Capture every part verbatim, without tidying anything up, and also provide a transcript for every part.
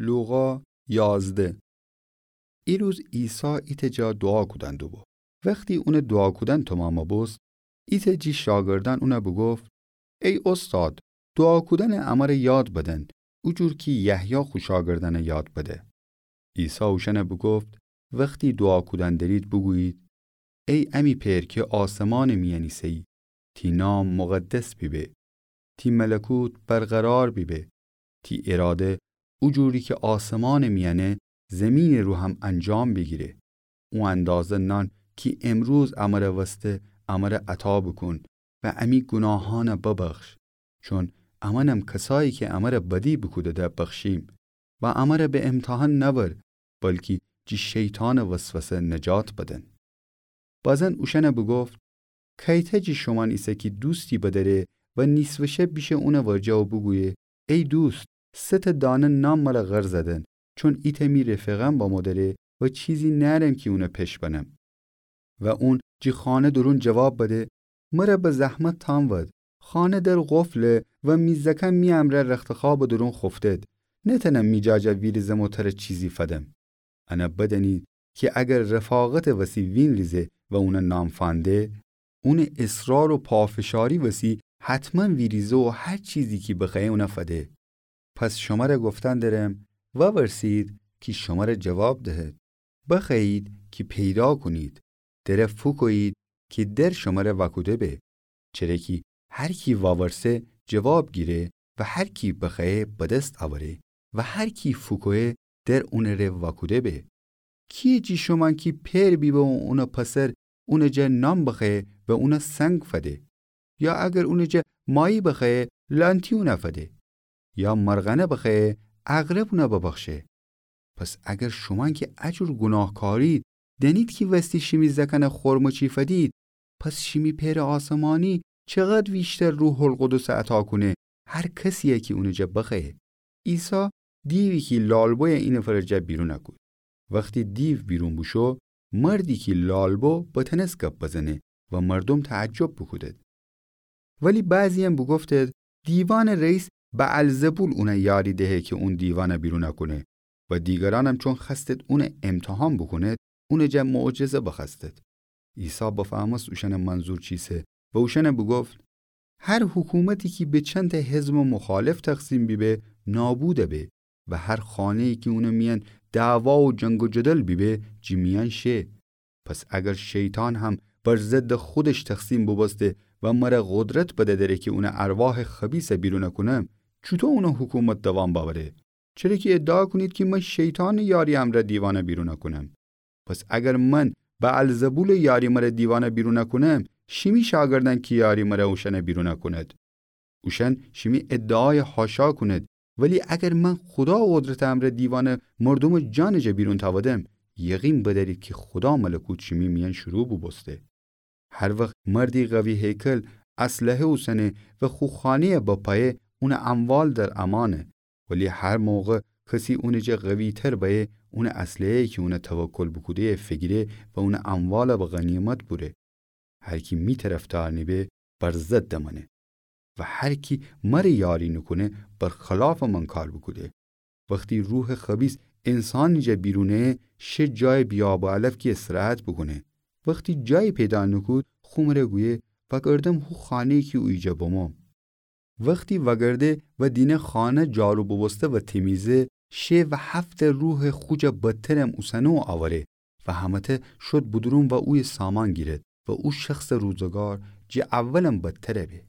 لوقا یازده. ایروز عیسی ایتأ جا دوعا کودن دوبو. وختی اونٚ دوعا کودن تومامَ بوست، ایتأ جی شاگردأن اونَ بوگفت: ای اوستاد، دوعا کودنَ امره یاد بدن، او جور کی یحیی خو شاگردأنَ یاد بده. عیسی اوشأنَ بوگفت: وختی دوعا کودن درید بوگویید: ای امی پئر کی آسمانٚ میأن ایسه‌یی، تی نام مقدس بیبه، تی ملکوت برقرار بیبه، تی اراده او جوری کی آسمانٚ میأنه زمینٚ رو هم انجام بیگیره. او اندازه نان کی امروز امره وسته امره عطا بوکون و امی گوناهأنَ ببخش، چون امأنم کسایی کی امره بدی بوکوده‌ده بخشیم. و امره به امتحان نأور، بلکی جی شیطانٚ وسوسه نجات بدن. بازن اوشأنَ بوگفت: کیتأ جی شومأن ایسه کی دوستی بدأره و نیصفٚ شب بیشه اونٚ ورجه و بوگویه: ای دوست، سه تأ دانه نان مره قرض دن، چون ایتأ می رفیقأن بمو دأره و چیزی نأرم کی اونَ پش بنم. و اون جی خانه دورون جواب بده: مره به زحمت تانود، خانه در قفله و می زأکأن می امرأ رختخوابٚ دورون خوفتد، نتأنم می جا جا ویریزم و تره چیزی فدم. انَ بدأنید کی اگر رفاقتٚ وسی وینریزه و اونَ نان فأنده، اونٚ اصرار و پافشاری وسی حتماً ویریزه و هر چیزی کی بخوأیه اونَ فده. پس شمره گفتن درم، وورسید کی شمره جواب دهد، بخوأیید کی پیدا کونید، دره فوکویید کی در شمره وأکوده به. چره کی هر کی وورسه جواب گیره و هر کی بخوأیه بدست اوره و هر کی فوکویه در اونٚ ره وأکوده به. کیه جی شومأن کی پئر بیبه و اونٚ پسر اونٚ جا نان بخوأیه و اونَ سنگ فده؟ یا اگر اونٚ جا مایی بخوأیه لأنتی اونَ فده؟ یا مرغأنَ بخوأیه عقرب اونَ ببخشه؟ پس اگر شومأن کی ا جور گوناهکارید دأنید کی وستی شیمی زأکأنَ خرمه چی فدید، پس شیمی پئرٚ آسمانی چقدر ویشتر روح‌القدسَ عطا کونه هر کسی‌یَ کی اونٚ جا بخوأیه. عیسی دیوی کی لالبویه اینفرٚ جا بیرون کود. وختی دیو بیرون بوشو، مردی کی لالبو بتأنس گب بزنه و مردوم تعجب بوکودد. ولی بعضی‌یأن بوگفتد: دیوأنٚ رئیس بعلزبول اونَ یاری دهه کی اون دیوأنَ بیرون کونه. و دیگرأنم چون خوأستد اونَ امتحان بوکوند، اونٚ جا معجزه بخوأستد. عیسی بفهمست اوشأنٚ منظور چیسه و اوشأنَ بوگفت: هر حکومتی کی به چندتأ حزبٚ مخالف تقسیم بیبه، نابود به و هر خانه‌یی کی اونٚ میأن دعوا و جنگ و جدل بیبه، جی میأن شه. پس اگر شیطان هم بر ضدٚ خودش تقسیم بوبوسته و مره قدرت بده دره کی اونٚ ارواحٚ خبیثَ بیرون کونم، چوطو اونٚ حکومت دوام بأوره؟ چره کی ادعا کونید کی من شیطانٚ یاری امرأ دیوأنَ بیرون کونم. پس اگر من بعلزبولٚ یاری مره دیوأنَ بیرون کونم، شیمی شاگردأن کی یاری مره اوشأنَ بیرون کونید؟ اوشأن شیمی ادعایَ حاشا کونید. ولی اگر من خودا قدرتٚ امرأ دیوأنَ مردومٚ جانٚ جا بیرون تأودم، یقین بدأرید کی خودا ملکوت شیمی میأن شروع بوبوسته. هر وخت مردی قوی هیکل اسلحه اوسنه و خو خانه‌یَ بپایه، اونٚ اموال در امانه. ولی هر موقع کسی اونٚ جا قوی‌تر بأیه، اونٚ اسلحه‌یَ کی اونَ توکل بوکوده‌یه فیگیره و اونٚ اموالَ به غنیمت بوره. هر کی می طرفدار نیبه، بر ضدٚ منه. و هر کی مره یاری نوکونه، بر خلافٚ من کار بوکوده. وختی روحٚ خبیث انسانٚ جا بیرونه، شه جایٚ بی‌آب و علف کی استراحت بوکونه. وختی جایی پیدا نوکود، خو مره گویه: وأگردم هو خانه‌یی کی اویجا بموم. وختی وأگرده و دینه خانه جارو بوبوسته و تمیزه، شه و هفت‌تأ روحٚ خو جا بدترم اوسنه و اوره و همه‌تأ شد بودورون و اویه سامان گیرد و او شخصٚ روزگار جٚه اولم بدتر به.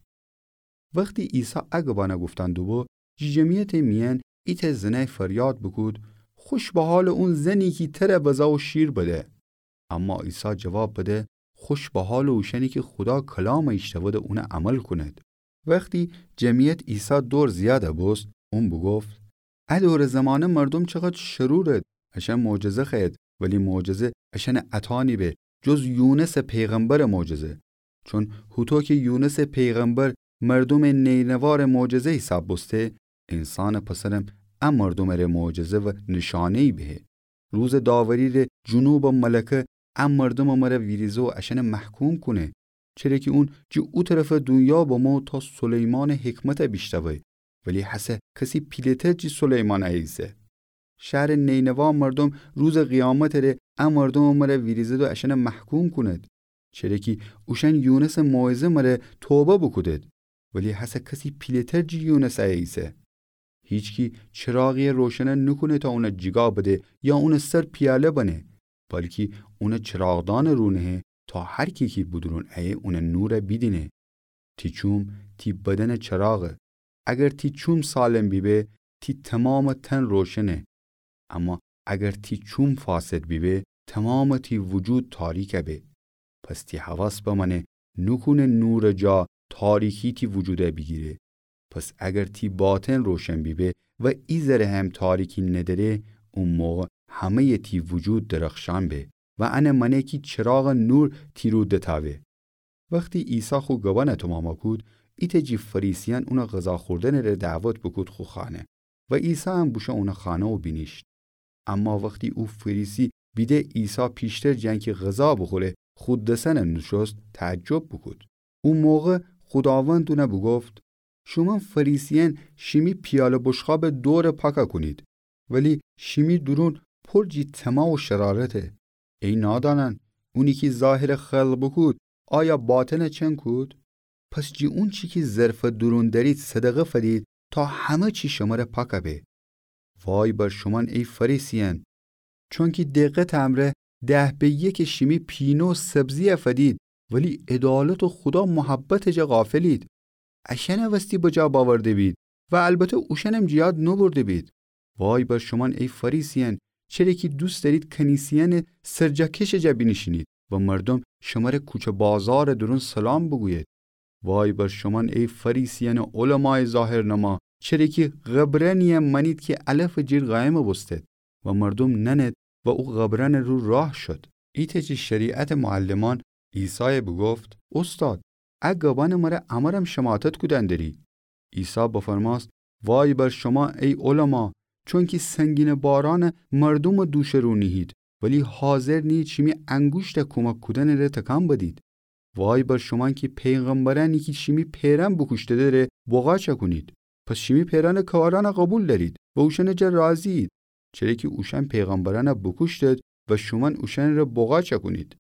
وختی عیسی ا گبأنَ گفتن دوبو، جٚه جمعیتٚ میأن ایتأ زنأی فریاد بوکود: خوش به حالٚ اون زنی کی تره بزه و شیر بده. اما عیسی جواب بده: خوش به حالٚ اوشأنی کی خودا کلامَ ایشتأوده اونَ عمل کونید. وختی جمعیت عیسی دور زیادَ بوست، اون بوگفت: ا دورٚ زمانه مردوم چقدر شرورد، اشأن معجزه خوأید، ولی معجزه اشأنَ عطا نیبه، جز یونسٚ پیغمبرٚ معجزه. چون هوطو کی یونسٚ پیغمبر مردومٚ نینوارٚ معجزه حیساب بوسته، انسانٚ پسرم ا مردومٚ ره معجزه و نشانه‌یی بهه. روزٚ داوری‌ره جنوبٚ ملکه ا مردومٚ مره ویریزه و اشأنَ محکوم کونه. چره کی اون جٚه او طرفٚ دونیا بمو تا سلیمانٚ حکمتَ بیشنوه، ولی هسه کسی پیله‌تر جٚه سلیمان ایسه. شهرٚ نینوا مردوم روزٚ قیامتٚ ره ا مردومٚ مره ویریزد و اشأن محکوم کونید. چره کی اوشأن یونسٚ موعظه مره توبه بوکودید، ولی هسه کسی پیله‌تر جی یونس ایه ایسه. هیچکی چراغی روشن نوکونه تا اون جیگا بده یا اونٚ سر پیاله بنه، بلکی اون چراغدان رو نهه تا هر کی کی بدورون ایه اون نور بیدینه. تی چوم تی بدنٚ چراغه. اگر تی چوم سالم بیبه، تی تومامٚ تن روشنه. اما اگر تی چوم فاسد بیبه، تومامٚ تی وجود تاریک به. پس تی حواس بمأنه نوکونه نورٚ جا تاریکی تی وجود بیگیره. پس اگر تی باطن روشن بیبه و ایذره هم تاریکی ندأره، او موقع همه‌یٚ تی وجود درخشان به و انه مأنه کی چراغٚ نور تی رو دتأوه. وختی عیسی خو گبأن تومام کود، ایتأ جی فریسیأن اون غذا خوردنٚ ره دعوت بوکود خو خانه و عیسی هم بوشو اونٚ خانه و بینیشت. اما وختی او فریسی بیده عیسی پیشتر جٚه انکی غذا بوخوره خو دسأن نوشوست، تعجب بوکود. او موقع خوداوند اون بوگفت: شومأن فریسیأن شیمی پیاله بشقابٚ دور پاک کونید، ولی شیمی دورون پر جی طمع و شرارته. ای نادانأن، اونی کی ظاهر خلق بوکود، آیا باطن چن کود؟ پس جی اونچی کی ظرفٚ دورون دأرید صدقه فدید تا همه چی شمره پاک به. وای بر شومأن ای فریسیأن، چونکی دقتٚ امرأ ده به یکٚ شیمی پینه و سبزی فدید، ولی عدالت و خودا محبتٚ جا غافلید. اشأنٚ وستی بجا بأورده بید و البته اوشأنم جٚه یاد نوبرده بید. وای بر شومأن ای فریسیأن، چره کی دوست دأرید کنیسه‌یأنٚ سرجاکشٚ جا بینیشینید و مردوم شمره کوچه بازارٚ دورون سلام بوگوید. وای بر شومأن ای فریسیأنٚ علمایٚ ظاهرنما، چره کی قبرأنیی مأنید کی علفٚ جیر قایم بوستید و مردوم نأنید و او قبرأنٚ رو راه شد. ایتأ جی شریعتٚ معلمأن عیسای بوگفت: اوستاد، ا گبأنٚ مره امرم شماتت کودن دری. عیسی بفرمأست: وای بر شومأن ای علما، چونکی سنگینٚ بارأن مردومٚ دوشٚ رو نیهید، ولی حاضر نیهید شیمی انگوشت کومک کودنٚ ره تکان بدید. وای بر شومأن کی پیغمبرأنی کی شیمی پئرأن بوکوشته‌ده ره بغاچ کونید. پس شیمی پئرأنٚ کارأن قوبیل دأرید و اوشأنٚ جا راضیید. چره کی اوشأن پیغمبرأن بوکوشتید و شومأن اوشأنٚ ره بغاچ کونید.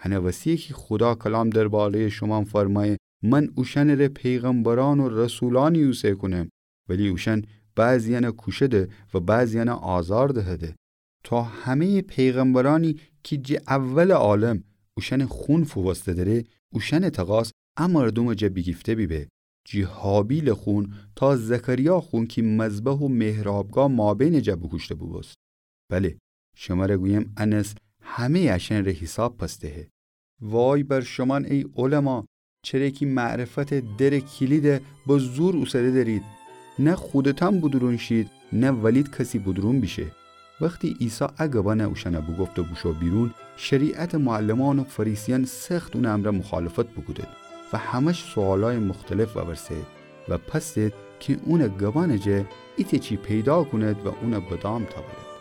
هنٚ وسییه کی خودا کلام درباره‌یٚ شومأن فرمأیه: من اوشأنٚ ره پیغمبرأن و رسولأنی اوسه کونم، ولی اوشأن بعضیأن کوشده و بعضیأن آزار دهده. تا همه‌یٚ پیغمبرأنی کی جٚه اولٚ عالم اوشأنٚ خون فووسته‌ده ره، اوشأنٚ تقاس ا مردومٚ جا بیگیفته بیبه، جٚه هابیلٚ خون تا زکریا خون کی مذبح و محرابگاه مابینٚ جا بوکوشته بوبوست. بله، شمر گویم ا نسل همه‌یٚ اشأنٚ ره حیساب پس دهه. وای بر شومأن ای علما، چره کی معرفتٚ درٚ کیلید به زور اوسده دأرید. نه خودتأن بودورون شید، نه ولید کسی بودورون بیشه. وختی عیسی ا گبأن اوشأن بوگفت و بوشو بیرون، شریعتٚ معلمأن و فریسیأن سخت اونٚ امرأ مخالفت بوکودید و همش سؤالأیٚ مختلف وورسه‌یید و پس دید کی اونٚ گبأنٚ جا ایتأ چی پیدا کونید و اون به دام تأورید.